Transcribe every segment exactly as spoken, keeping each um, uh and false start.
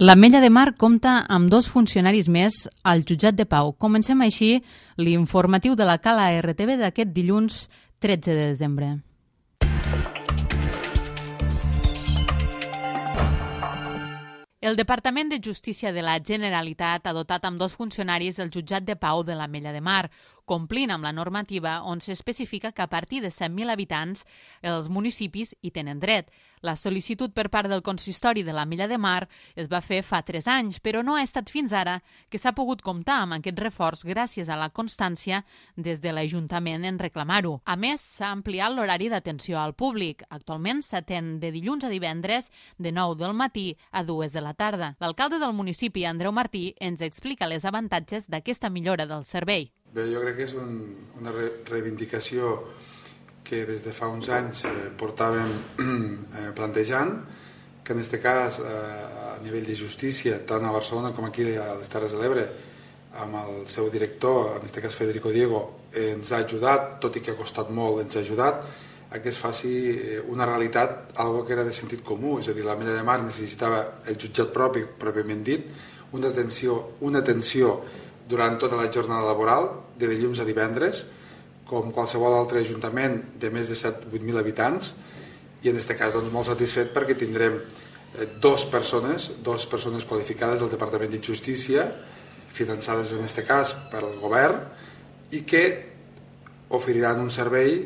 L'Ametlla de Mar compta amb dos funcionaris més al jutjat de Pau. Comencem així l'informatiu de la Cala R T V d'aquest dilluns tretze de desembre. El Departament de Justícia de la Generalitat ha dotat amb dos funcionaris el jutjat de Pau de l'Ametlla de Mar, complint amb la normativa on s'especifica que a partir de cent mil habitants els municipis hi tenen dret. La sol·licitud per part del consistori de l'Ametlla de Mar es va fer fa tres anys, però no ha estat fins ara que s'ha pogut comptar amb aquest reforç gràcies a la constància des de l'Ajuntament en reclamar-ho. A més, s'ha ampliat l'horari d'atenció al públic. Actualment s'atén de dilluns a divendres de nou del matí a dues de la tarda. L'alcalde del municipi, Andreu Martí, ens explica les avantatges d'aquesta millora del servei. Bé, jo crec que és un, una re reivindicació que des de fa uns anys eh, portàvem eh, plantejant, que en aquest cas eh, a nivell de justícia, tant a Barcelona com aquí a les Terres de l'Ebre, amb el seu director, en aquest cas Federico Diego, eh, ens ha ajudat, tot i que ha costat molt, ens ha ajudat a que es faci una realitat, algo que era de sentit comú, és a dir, l'Ametlla de Mar necessitava el jutjat propi, pròpiament dit, una atenció, una atenció durant tota la jornada laboral, de dilluns a divendres, com qualsevol altre ajuntament de més de set a vuit mil habitants, i en aquest cas doncs, molt satisfet perquè tindrem dos persones, dos persones qualificades del Departament de Justícia, finançades en aquest cas pel govern, i que oferiran un servei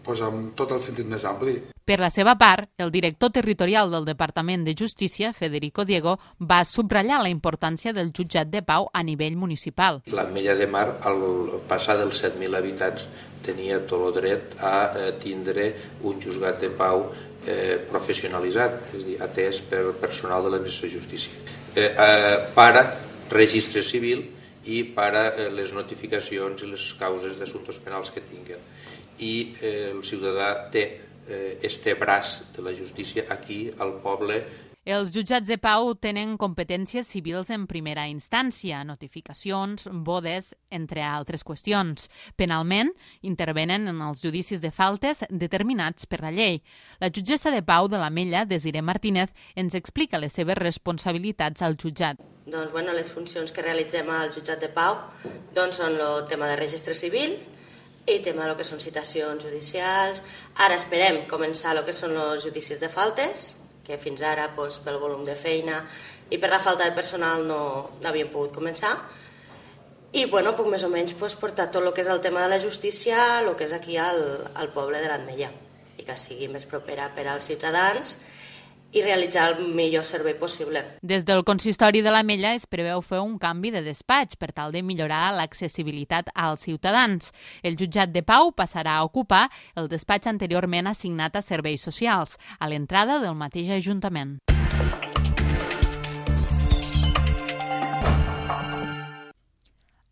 doncs, amb tot el sentit més ampli. Per la seva part, el director territorial del Departament de Justícia, Federico Diego, va subratllar la importància del jutjat de Pau a nivell municipal. L'Ametlla de Mar, al passar dels set mil habitants, tenia tot el dret a tindre un juzgat de pau eh, professionalitzat, és a dir, atès per personal de l'administració de justícia, eh, eh, para registre civil i para eh, les notificacions i les causes d'assumptes penals que tinguen. I eh, el ciutadà té este braç de la justícia aquí al poble. Els jutjats de Pau tenen competències civils en primera instància, notificacions, bodes, entre altres qüestions. Penalment, intervenen en els judicis de faltes determinats per la llei. La jutgessa de Pau de l'Ametlla, Desiree Martínez, ens explica les seves responsabilitats al jutjat. Doncs, bueno, les funcions que realitzem al jutjat de Pau doncs, són el tema de registre civil, i tema del que són citacions judicials. Ara esperem començar el que són els judicis de faltes, que fins ara doncs, pel volum de feina i per la falta de personal no, no havíem pogut començar. I bueno, puc més o menys doncs, portar tot el que és el tema de la justícia, el que és aquí al, al poble de l'Ametlla, i que sigui més propera per als ciutadans i realitzar el millor servei possible. Des del consistori de l'Ametlla es preveu fer un canvi de despatx per tal de millorar l'accessibilitat als ciutadans. El jutjat de Pau passarà a ocupar el despatx anteriorment assignat a serveis socials, a l'entrada del mateix Ajuntament.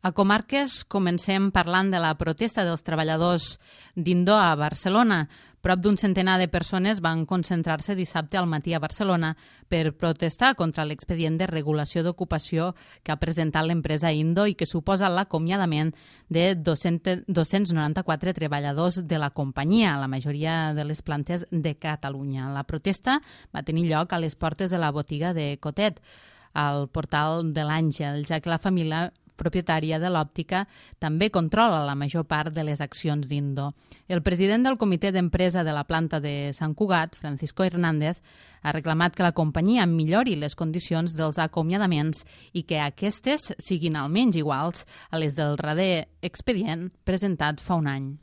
A Comarques comencem parlant de la protesta dels treballadors d'Indo a Barcelona. Prop d'un centenar de persones van concentrar-se dissabte al matí a Barcelona per protestar contra l'expedient de regulació d'ocupació que ha presentat l'empresa Indo i que suposa l'acomiadament de dos-cents noranta-quatre treballadors de la companyia, la majoria de les plantes de Catalunya. La protesta va tenir lloc a les portes de la botiga de Cotet, al portal de l'Àngel, ja que la família propietària de l'òptica, també controla la major part de les accions d'Indo. El president del comitè d'empresa de la planta de Sant Cugat, Francisco Hernández, ha reclamat que la companyia millori les condicions dels acomiadaments i que aquestes siguin almenys iguals a les del darrer expedient presentat fa un any.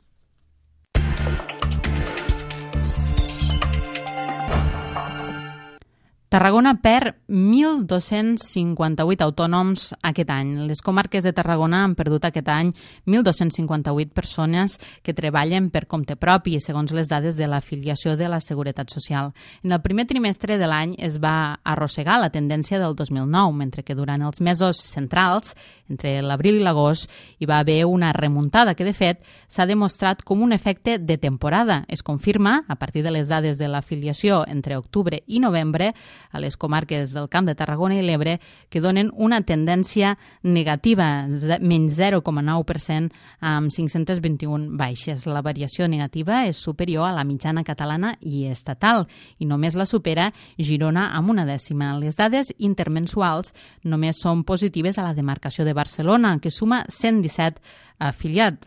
Tarragona perd mil dos-cents cinquanta-vuit autònoms aquest any. Les comarques de Tarragona han perdut aquest any mil dos-cents cinquanta-vuit persones que treballen per compte propi, segons les dades de l'afiliació de la Seguretat Social. En el primer trimestre de l'any es va arrossegar la tendència del dos mil nou, mentre que durant els mesos centrals, entre l'abril i l'agost, hi va haver una remuntada que, de fet, s'ha demostrat com un efecte de temporada. Es confirma, a partir de les dades de l'afiliació entre octubre i novembre, a les comarques del Camp de Tarragona i l'Ebre que donen una tendència negativa, menys zero coma nou per cent amb cinc-centes vint-i-una baixes. La variació negativa és superior a la mitjana catalana i estatal i només la supera Girona amb una dècima. Les dades intermensuals només són positives a la demarcació de Barcelona, que suma cent disset afiliats.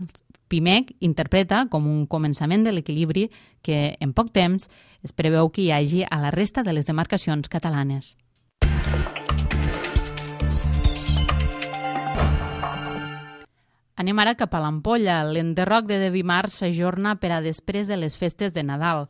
Pimec interpreta com un començament de l'equilibri que en poc temps es preveu que hi hagi a la resta de les demarcacions catalanes. Anem ara cap a l'Ampolla. L'enderroc de Devimar s'ajorna per a després de les festes de Nadal.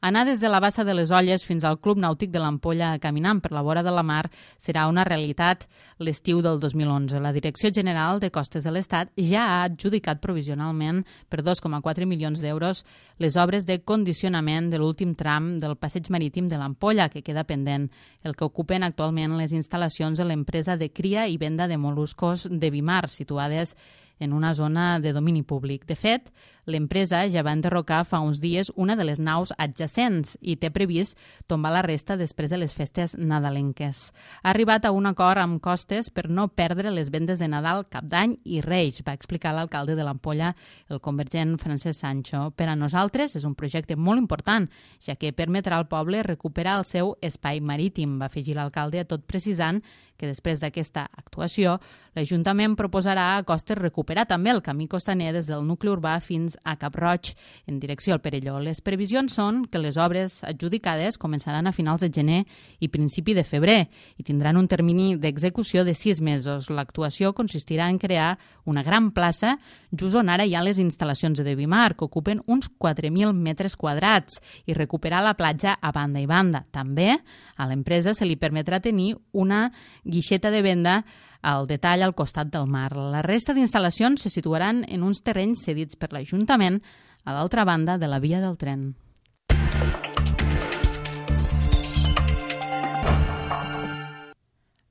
Anar des de la Bassa de les Olles fins al Club Nàutic de l'Ampolla caminant per la vora de la mar serà una realitat l'estiu del dos mil onze. La Direcció General de Costes de l'Estat ja ha adjudicat provisionalment per dos coma quatre milions d'euros les obres de condicionament de l'últim tram del passeig marítim de l'Ampolla, que queda pendent, el que ocupen actualment les instal·lacions de l'empresa de cria i venda de mol·luscos Devimar, situades en una zona de domini públic. De fet, l'empresa ja va enderrocar fa uns dies una de les naus adjacents i té previst tombar la resta després de les festes nadalenques. Ha arribat a un acord amb Costes per no perdre les vendes de Nadal, Cap d'Any i Reis, va explicar l'alcalde de l'Ampolla, el convergent Francesc Sancho. Per a nosaltres és un projecte molt important, ja que permetrà al poble recuperar el seu espai marítim, va afegir l'alcalde, tot precisant que després d'aquesta actuació, l'Ajuntament proposarà a Costes recuperar també el camí costaner des del nucli urbà fins a Cap Roig, en direcció al Perelló. Les previsions són que les obres adjudicades començaran a finals de gener i principi de febrer i tindran un termini d'execució de sis mesos. L'actuació consistirà en crear una gran plaça just on ara hi ha les instal·lacions de Devimar, que ocupen uns quatre mil metres quadrats, i recuperar la platja a banda i banda. També a l'empresa se li permetrà tenir una guixeta de venda al detall al costat del mar. La resta d'instal·lacions se situaran en uns terrenys cedits per l'Ajuntament a l'altra banda de la via del tren.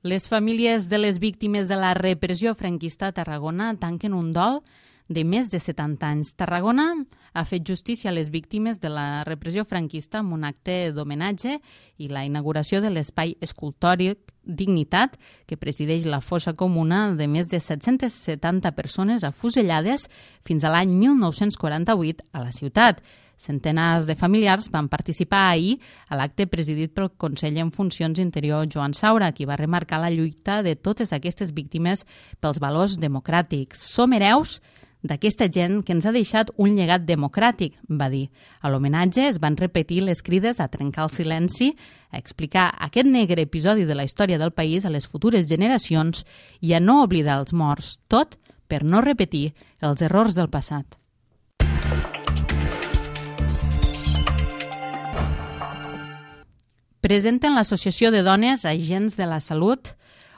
Les famílies de les víctimes de la repressió franquista a Tarragona tanquen un dol de més de setanta anys. Tarragona ha fet justícia a les víctimes de la repressió franquista amb un acte d'homenatge i la inauguració de l'espai escultòric Dignitat, que presideix la fossa comuna de més de set-centes setanta persones afusellades fins a l'any mil nou-cents quaranta-vuit a la ciutat. Centenars de familiars van participar ahir a l'acte presidit pel conseller en funcions interior Joan Saura, qui va remarcar la lluita de totes aquestes víctimes pels valors democràtics. Som hereus d'aquesta gent que ens ha deixat un llegat democràtic, va dir. A l'homenatge es van repetir les crides a trencar el silenci, a explicar aquest negre episodi de la història del país a les futures generacions i a no oblidar els morts, tot per no repetir els errors del passat. Presenten l'Associació de Dones Agents de la Salut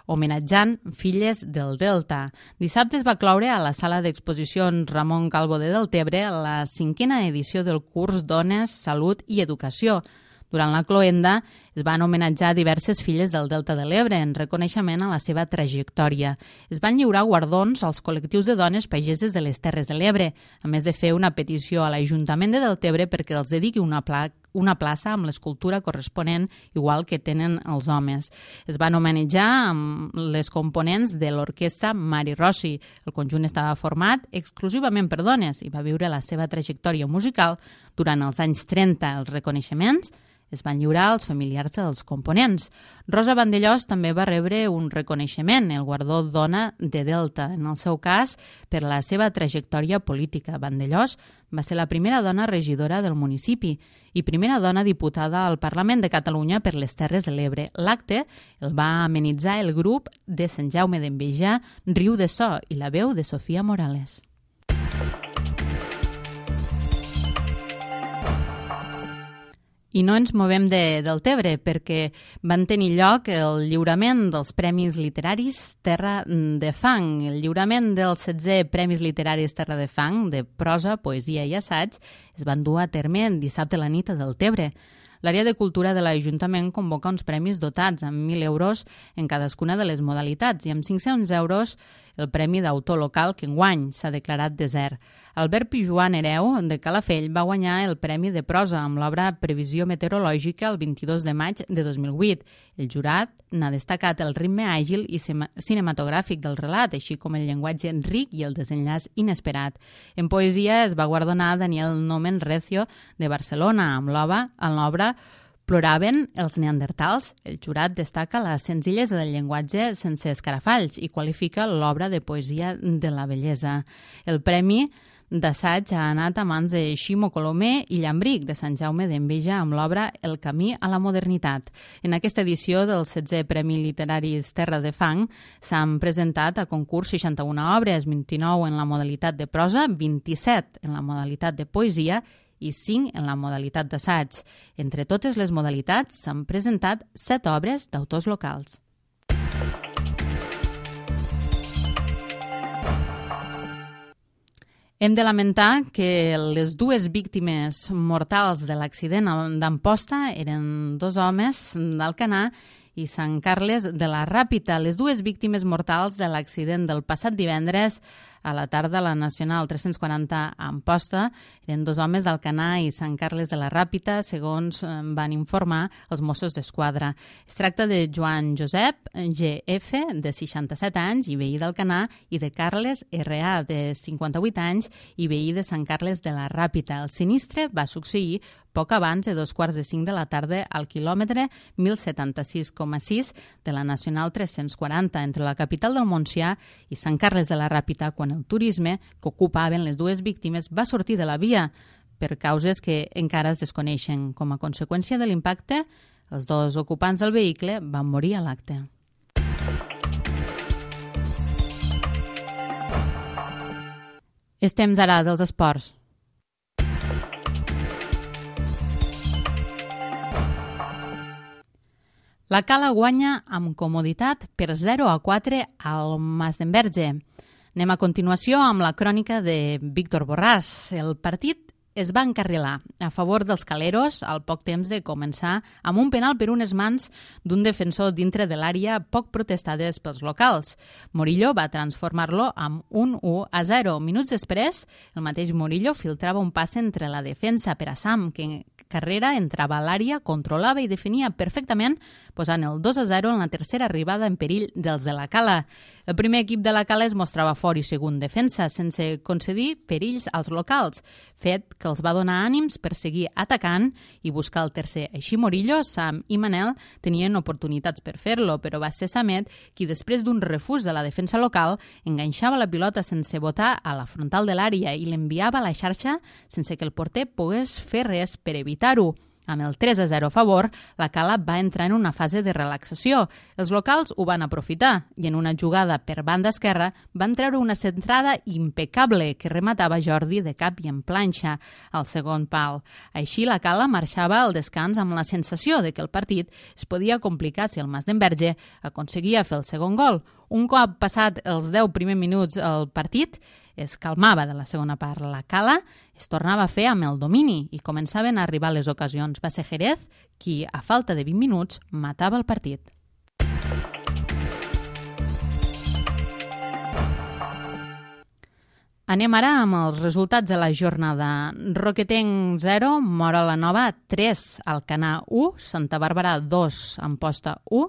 homenatjant Filles del Delta. Dissabte es va cloure a la sala d'exposicions Ramon Calvo de Deltebre la cinquena edició del curs Dones, Salut i Educació. Durant la cloenda es van homenatjar diverses filles del Delta de l'Ebre en reconeixement a la seva trajectòria. Es van lliurar guardons als col·lectius de dones pageses de les Terres de l'Ebre, a més de fer una petició a l'Ajuntament de Deltebre perquè els dediqui una placa una plaça amb l'escultura corresponent, igual que tenen els homes. Es van homenatjar amb les components de l'orquestra Mari Rossi. El conjunt estava format exclusivament per dones i va viure la seva trajectòria musical durant els anys trenta. Els reconeixements es van lliurar als familiars dels components. Rosa Vandellós també va rebre un reconeixement, el guardó Dona de Delta, en el seu cas per la seva trajectòria política. Vandellós va ser la primera dona regidora del municipi i primera dona diputada al Parlament de Catalunya per les Terres de l'Ebre. L'acte el va amenitzar el grup de Sant Jaume d'Enveja, Riu de So, i la veu de Sofia Morales. I no ens movem de Deltebre perquè van tenir lloc el lliurament dels Premis Literaris Terra de Fang. El lliurament dels setze Premis Literaris Terra de Fang de prosa, poesia i assaig es van dur a terme dissabte a la nit a Deltebre. L'àrea de cultura de l'Ajuntament convoca uns premis dotats amb mil euros en cadascuna de les modalitats i amb cinc-cents euros el Premi d'Autor Local que enguany s'ha declarat desert. Albert Pijuan Hereu, de Calafell, va guanyar el Premi de Prosa amb l'obra Previsió meteorològica el vint-i-dos de maig de dos mil vuit. El jurat n'ha destacat el ritme àgil i cinematogràfic del relat, així com el llenguatge ric i el desenllaç inesperat. En poesia es va guardonar Daniel Nomen Recio de Barcelona amb l'obra Ploraven els neandertals. El jurat destaca la senzillesa del llenguatge sense escarafalls i qualifica l'obra de poesia de la bellesa. El premi d'assaig ha anat a mans de Ximo Colomer i Llambric, de Sant Jaume d'Enveja, amb l'obra El camí a la modernitat. En aquesta edició del setzè Premi Literaris Terra de Fang s'han presentat a concurs seixanta-una obres, vint-i-nou en la modalitat de prosa, vint-i-set en la modalitat de poesia i cinc en la modalitat d'assaig. Entre totes les modalitats s'han presentat set obres d'autors locals. Hem de lamentar que les dues víctimes mortals de l'accident d'Amposta eren dos homes d'Alcanar i Sant Carles de la Ràpita. Les dues víctimes mortals de l'accident del passat divendres a la tarda a la Nacional tres-cents quaranta a Amposta eren dos homes d'Alcanar i Sant Carles de la Ràpita, segons van informar els Mossos d'Esquadra. Es tracta de Joan Josep G F, de seixanta-set anys i veí d'Alcanar, i de Carles R A, de cinquanta-vuit anys i veí de Sant Carles de la Ràpita. El sinistre va succeir poc abans de dos quarts de cinc de la tarda al quilòmetre mil setanta-sis coma sis de la Nacional tres-cents quaranta entre la capital del Montsià i Sant Carles de la Ràpita, quan el turisme que ocupaven les dues víctimes va sortir de la via per causes que encara es desconeixen. Com a conseqüència de l'impacte, els dos ocupants del vehicle van morir a l'acte. És temps ara dels esports. La Cala guanya amb comoditat per zero a quatre al Masdenverge. Anem a continuació amb la crònica de Víctor Borràs. El partit es va encarrilar a favor dels caleros al poc temps de començar amb un penal per unes mans d'un defensor dintre de l'àrea poc protestades pels locals. Morillo va transformar-lo amb un u a zero. Minuts després, el mateix Morillo filtrava un passe entre la defensa per a Sam, que Carrera entrava a l'àrea, controlava i definia perfectament, posant el dos a zero en la tercera arribada en perill dels de la Cala. El primer equip de la Cala es mostrava fort i segon defensa, sense concedir perills als locals, fet que els va donar ànims per seguir atacant i buscar el tercer. Així Morillo, Sam i Manel tenien oportunitats per fer-lo, però va ser Samet qui, després d'un refús de la defensa local, enganxava la pilota sense botar a la frontal de l'àrea i l'enviava a la xarxa sense que el porter pogués fer res per evitar-ho. Amb el tres a zero a favor, la Cala va entrar en una fase de relaxació. Els locals ho van aprofitar i en una jugada per banda esquerra van treure una centrada impecable que rematava Jordi de cap i en planxa al segon pal. Així la Cala marxava al descans amb la sensació de que el partit es podia complicar si el Masdenverge aconseguia fer el segon gol. Un cop passat els deu primers minuts el partit, es calmava de la segona part. La Cala es tornava a fer amb el domini i començaven a arribar les ocasions. Va ser Jerez qui, a falta de vint minuts, matava el partit. Anem ara amb els resultats de la jornada. Roquetenc zero, Móra la Nova tres, Alcanar u, Santa Bàrbara dos, Amposta u,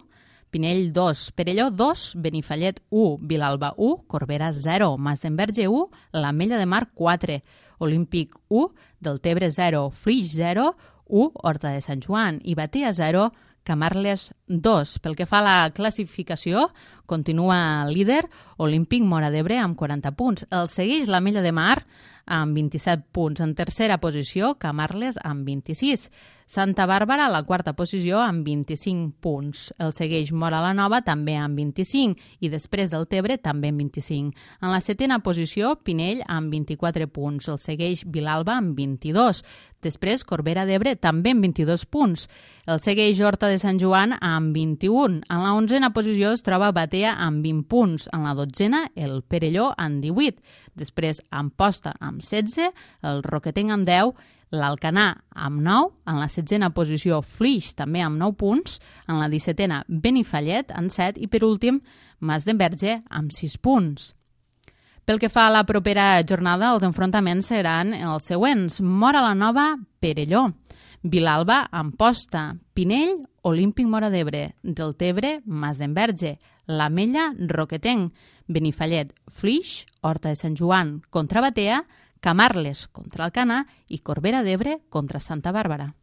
Pinell dos, Perelló dos, Benifallet u, Vilalba u, Corbera zero, Masdenverge u, l'Ametlla de Mar quatre, Olímpic u, Deltebre zero, Flix zero, u, Horta de Sant Joan i Batea zero, Camarles dos. Pel que fa a la classificació, continua líder Olímpic Móra d'Ebre amb quaranta punts. El segueix l'Ametlla de Mar amb vint-i-set punts. En tercera posició, Camarles amb vint-i-sis. Santa Bàrbara a la quarta posició amb vint-i-cinc punts. El segueix Móra la Nova també amb vint-i-cinc i després del Tebre també amb vint-i-cinc. En la setena posició, Pinell amb vint-i-quatre punts. El segueix Vilalba amb vint-i-dos. Després Corbera d'Ebre també amb vint-i-dos punts. El segueix Horta de Sant Joan amb vint-i-un. En la onzena posició es troba Batea amb vint punts. En la dotzena, el Perelló amb divuit. Després Amposta amb setze, el Roquetenc amb deu, l'Alcanar amb nou, en la setzena posició Flix també amb nou punts, en la dissetena Benifallet amb set i per últim Masdenverge amb sis punts. Pel que fa a la propera jornada, els enfrontaments seran els següents. Móra la Nova, Perelló, Vilalba, Amposta, Pinell, Olímpic Móra d'Ebre, Deltebre, Masdenverge, l'Ametlla, Roquetenc, Benifallet, Flix, Horta de Sant Joan contra Batea, Camarles contra Alcanar i Corbera d'Ebre contra Santa Bàrbara.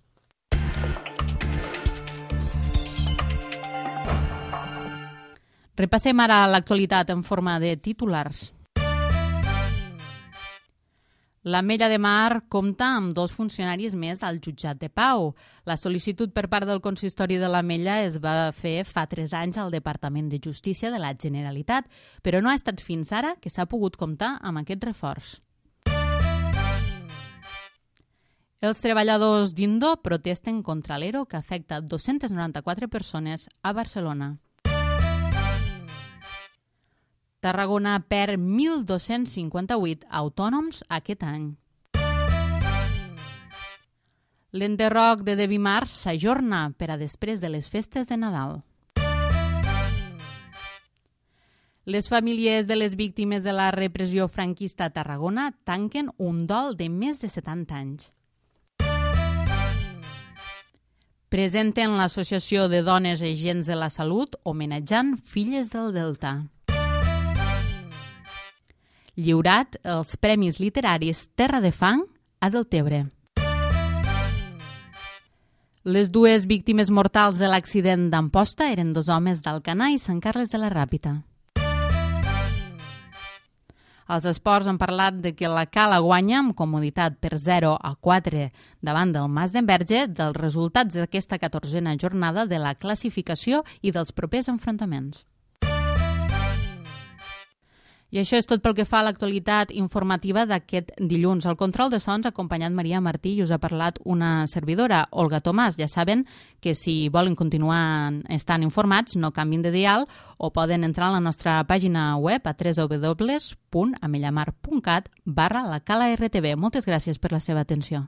Repassem ara l'actualitat en forma de titulars. L'Ametlla de Mar compta amb dos funcionaris més al jutjat de Pau. La sol·licitud per part del consistori de l'Ametlla es va fer fa tres anys al Departament de Justícia de la Generalitat, però no ha estat fins ara que s'ha pogut comptar amb aquest reforç. Els treballadors d'Indo protesten contra l'Ero que afecta dos-centes noranta-quatre persones a Barcelona. Tarragona perd mil dos-cents cinquanta-vuit autònoms aquest any. L'enderroc de Devi Mars s'ajorna per a després de les festes de Nadal. Les famílies de les víctimes de la repressió franquista a Tarragona tanquen un dol de més de setanta anys. Presenten l'Associació de Dones Agents de la Salut homenatjant filles del Delta. Lliurat els Premis Literaris Terra de Fang a Deltebre. Les dues víctimes mortals de l'accident d'Amposta eren dos homes d'Alcanar i Sant Carles de la Ràpita. Els esports han parlat de que la Cala guanya amb comoditat per zero a quatre davant del Masdenverge dels resultats d'aquesta catorzena jornada de la classificació i dels propers enfrontaments. I això és tot pel que fa a l'actualitat informativa d'aquest dilluns. Al control de sons ha acompanyat Maria Martí i us ha parlat una servidora, Olga Tomàs. Ja saben que si volen continuar estant informats no canvin de dial o poden entrar a la nostra pàgina web a w w w punt amellamar punt cat barra la cala R T V. Moltes gràcies per la seva atenció.